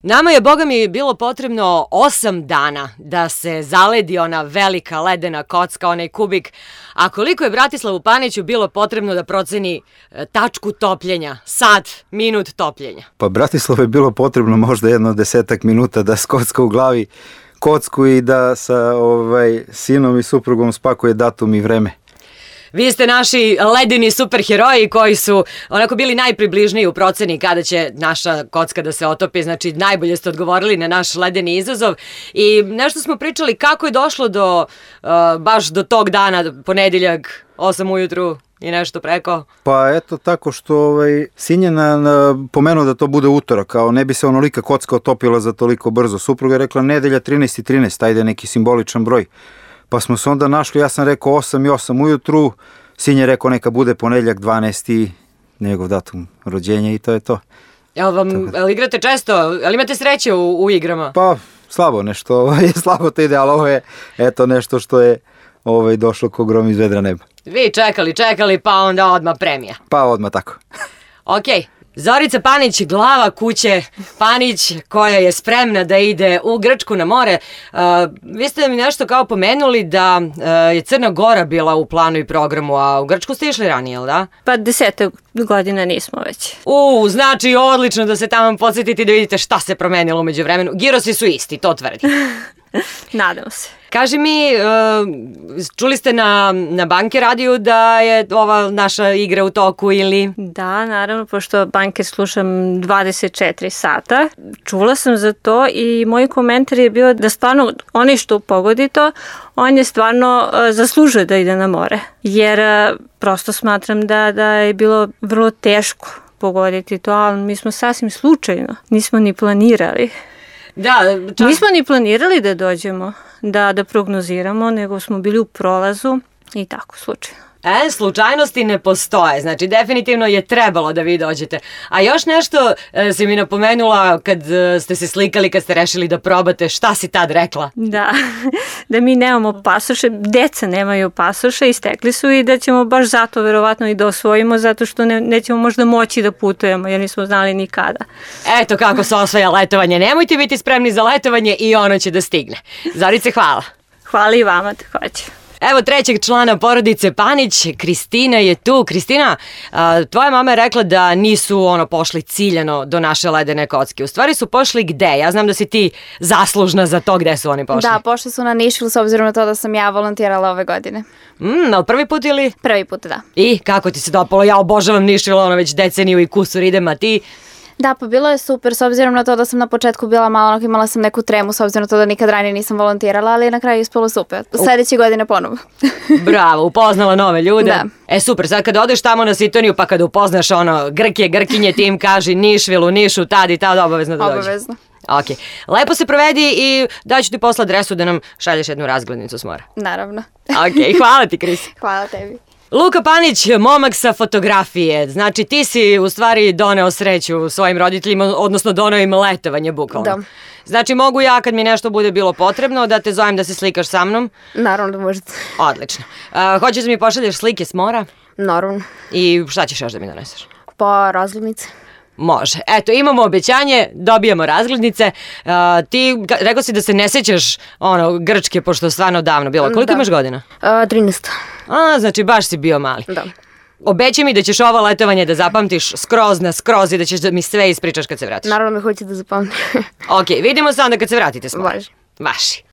Nama je, boga mi, bilo potrebno 8 dana da se zaledi ona velika ledena kocka, onaj kubik. A koliko je Bratislavu Paniću bilo potrebno da proceni tačku topljenja, sat, minut topljenja? Pa Bratislavu je bilo potrebno možda jedno 10 minuta da skocka u glavi kocku i da sa sinom i suprugom spakuje datum i vreme. Vi ste naši ledeni superheroji koji su onako bili najpribližniji u proceni kada će naša kocka da se otopi, znači najbolje ste odgovorili na naš ledeni izazov i nešto smo pričali kako je došlo do baš do tog dana, ponedeljak, 8 ujutru i nešto preko. Pa eto tako što sin je pomenuo da to bude utorak, kao ne bi se onolika kocka otopila za toliko brzo. Supruga je rekla nedelja 13:13, ajde neki simboličan broj. Pa smo se onda našli, ja sam rekao 8 i 8 ujutru, sin je rekao neka bude ponedeljak 12. njegov datum rođenja i to je to. Jel igrate često? Jel imate sreće u igrama? Pa slabo nešto, slabo to ide, ali ovo je eto nešto što je došlo ko grom iz vedra neba. Vi čekali, pa onda odmah premija. Pa odmah tako. Okej. Zorica Panić, glava kuće Panić, koja je spremna da ide u Grčku na more. Vi ste mi nešto kao pomenuli da je Crna Gora bila u planu i programu, a u Grčku ste išli ranije, jel da? Pa 10 godina nismo već. Znači odlično da se tamo podsjetite i da vidite šta se promenilo umeđu vremenu. Girosi su isti, to tvrdi. Nadam se. Kaži mi, čuli ste na Banke radiju da je ova naša igra u toku ili? Da, naravno, pošto Banke slušam 24 sata. Čula sam za to i moj komentar je bio da stvarno onaj što pogodi to, on je stvarno zaslužio da ide na more. Jer prosto smatram da je bilo vrlo teško pogoditi to, ali mi smo sasvim slučajno, nismo ni planirali. Nismo ni planirali da dođemo, da prognoziramo, nego smo bili u prolazu i tako slučajno. Slučajnosti ne postoje, znači definitivno je trebalo da vi dođete. A još nešto si mi napomenula kad ste se slikali, kad ste rešili da probate, šta si tad rekla? Da mi nemamo pasoše, deca nemaju pasoše, istekli su i da ćemo baš zato verovatno i da osvojimo, zato što nećemo možda moći da putujemo jer nismo znali nikada. Eto kako se osvaja letovanje, nemojte biti spremni za letovanje i ono će da stigne. Zorice, hvala. Hvala i vama takođe. Evo trećeg člana porodice Panić, Kristina je tu. Kristina, tvoja mama je rekla da nisu pošli ciljano do naše ledene kocke. U stvari su pošli gde? Ja znam da si ti zaslužna za to gde su oni pošli. Da, pošli su na Nišvil s obzirom na to da sam ja volontirala ove godine. Ali prvi put ili? Prvi put, da. I kako ti se dopalo? Ja obožavam Nišvil, već deceniju i kusur idem, a ti? Da, pa bilo je super s obzirom na to da sam na početku bila malo, imala sam neku tremu s obzirom na to da nikad ranije nisam volontirala, ali na kraju je ispalo super. Sledeće godine ponovo. Bravo, upoznala nove ljude. Da. Super, sad kad odeš tamo na Sitoniju pa kad upoznaš Grkinje, ti im kaži Nišvil u Nišu, tad i tad obavezno da dođe. Obavezno. Ok, lepo se provedi i daću ti posle adresu da nam šalješ jednu razglednicu s mora. Naravno. Ok, hvala ti, Kris. Hvala tebi. Luka Panić, momak sa fotografije. Znači ti si u stvari doneo sreću svojim roditeljima, odnosno doneo im letovanje bukvalno. Da. Znači mogu ja kad mi nešto bude bilo potrebno da te zovem da se slikaš sa mnom? Naravno da možete. Odlično. Hoćeš da mi pošalješ slike s mora? Naravno. I šta ćeš još da mi doneseš? Pa razglednice. Može. Eto, imamo obećanje, dobijamo razglednice. Ti rekao si da se ne sećaš Grčke, pošto je stvarno davno bilo. Koliko imaš godina? 13. Znači baš si bio mali. Da. Obećaj mi da ćeš ovo letovanje da zapamtiš skroz i da ćeš da mi sve ispričaš kad se vratiš. Naravno me hoće da zapamtim. Ok, vidimo se onda kad se vratite s mora. Važi. Vaši.